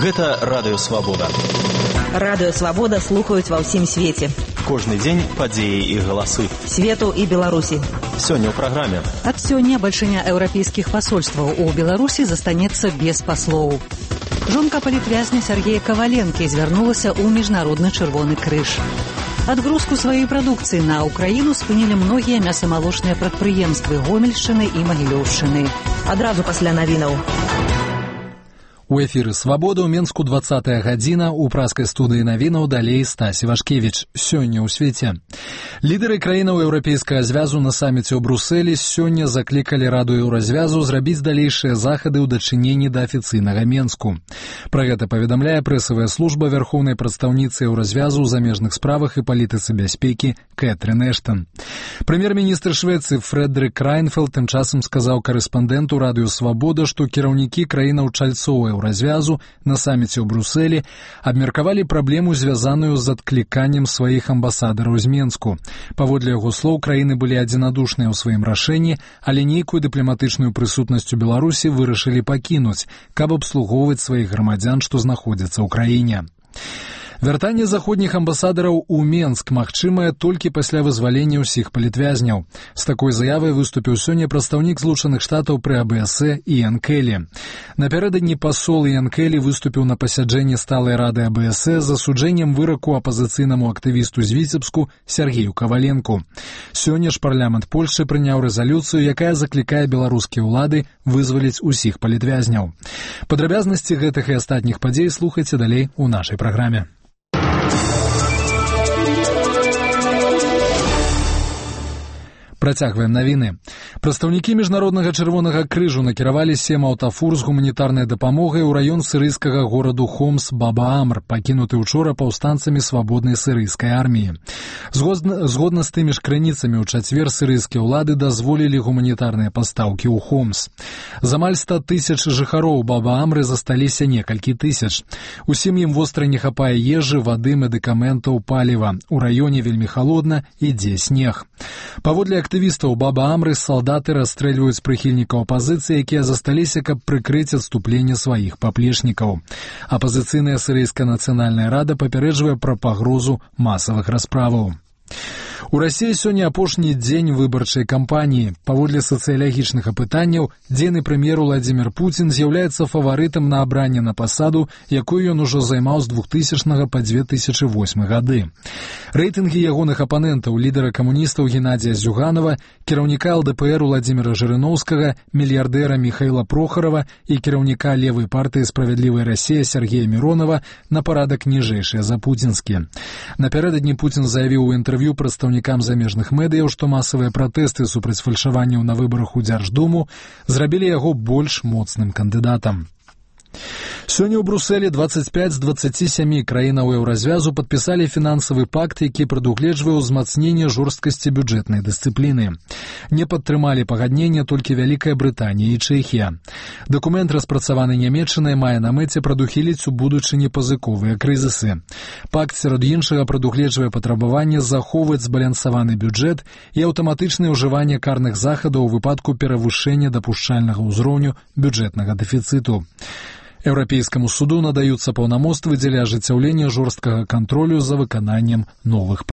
Гэта Радыё Свабода. Радыё Свабода слухаюць ва ўсім свеце. Кожны дзень падзеі і галасы. Свету і Беларусі. Сёння ў праграме. Ад сёння бальшыня еўрапейскіх пасольстваў у Беларусі застанецца без паслоў. Жонка палітвязня Сергея Коваленкі звярнулася ў Міжнародны Чырвоны крыж. Адгрузку сваёй прадукцыі на Украіну спынілі многія мясамалочныя прадпрыемствы Гомельшчыны і Магілёўшчыны. Адразу пасля навінаў. У эфіры «Свабода» ў Менску 20-я гадзіна, у праскай студыі навінаў далей Стась Івашкевіч. Сёння ў свеце. Лідары краінаў Еўрапейскага звязу на саміце ў Брусэлі сёння заклікалі Раду Еўразвязу зрабіць далейшыя захады ў дачыненні да афіцыйнага Менску. Пра гэта паведамляе прэсавая служба вярхоўнай прадстаўніцы Еўразвязу ў замежных справах і палітыцы бяспекі Кэтрын Эштон. Прэм'ер-міністр Швецыі Фрэдрик Райнфелд тым часам сказаў карэспандэнту Радыё Свабода, што кіраўнікі краінаў чальцоў Еўразвязу на саміце ў Брусэлі абмеркавалі праблему, звязаную з адкліканнем сваіх амбасадараў з Менску. Паводле яго слоў, краіны былі адзінадушныя ў сваім рашэнні, але нейкую дыпламатычную прысутнасць у Беларусі вырашылі пакінуць, каб абслугоўваць сваіх грамадзян, што знаходзяцца ў краіне. Вяртанне заходніх амбасадараў у Менск магчымае толькі пасля вызвалення ўсіх палітвязняў. З такой заявай выступіў сёння прадстаўнік Злучаных Штатаў пры АБС Іан Келлі. Напярэдадні пасол Іан Келлі выступіў на пасяджэнні сталай рады АБС з асуджэннем выраку апазіцыйнаму актывісту з Віцебску Сергею Коваленку. Сёння ж парламент Польшчы прыняў рэзалюцыю, якая заклікае беларускія ўлады вызваліць усіх палітвязняў. Падрабязнасці гэтых і астатніх падзей слухайце далей у нашай праграме. Працягваем навіны. Прадстаўнікі Міжнароднага Чырвонага крыжу накіравалі 7 аўтафур з гуманітарнай дапамогай у раён сірыйскага гораду Хомс Баба-Амр, пакінуты учора паўстанцамі свабоднай сірыйскай арміі. Згодна з тымі ж крыніцамі, у чацвер сірыйскія ўлады дазволілі гуманітарныя пастаўкі ў Хомс. З амаль 100 тысяч жыхароў Баба-Амры засталіся некалькі тысяч. Усім ім востра не хапае ежы, вады, медыкаментаў, паліва. У раёне вельмі халодна, ідзе снег. Паводле актывістаў Баба-Амры салдаты расстрэльваюць прыхільнікаў апазіцыі, якія засталіся, каб прыкрыць адступленне сваіх паплечнікаў. Апазіцыйная сірыйская нацыянальная рада папярэджвае пра пагрозу масавых расправаў. У Расіі сёння апошні дзень выбарчай кампаніі. Паводле сацыялагічных апытанняў, дзейны прэм'ер Уладзімір Пуцін з'яўляецца фаварытам на абранне на пасаду, якую ён ужо займаў з 2000 па 2008 гады. Рэйтынгі ягоных апанентаў, лідара камуністаў Геннадзія Зюганова, кіраўніка ЛДПР Уладзіміра Жырыноўскага, мільярдэра Міхаіла Прохарава і кіраўніка левай партыі «Справядлівая Расія» Сергея Міронова на парадак ніжэйшыя за пуцінскія. Напярэдадні Пуцін заявіў у інтэрв'ю прадстаўнікам замежных медыяў, што масавыя пратэсты супраць фальшаванняў на выбарах у Дзярждуму зрабілі яго больш моцным кандыдатам. Сёння ў Брусэлі 25 з 27 краінаў Еўразвязу падпісалі фінансавы пакт, які прадугледжвае ўзмацненне жорсткасці бюджэтнай дысцыпліны. Не падтрымалі пагаднення толькі Вялікая Брытанія і Чэхія. Дакумент, распрацаваны Нямецчынай, мае на мэце прадухіліць у будучыні пазыковыя крызісы. Пакт, сярод іншага, прадугледжвае патрабаванне захоўваць збалансаваны бюджэт і аўтаматычнае ўжыванне карных захадаў у выпадку перавышэння дапушчальнага ўзроўню бюджэтнага дэфіцыту. Еўрапейскаму суду надаюцца паўнамоцтвы дзеля ажыццяўлення жорсткага кантролю за выкананнем новых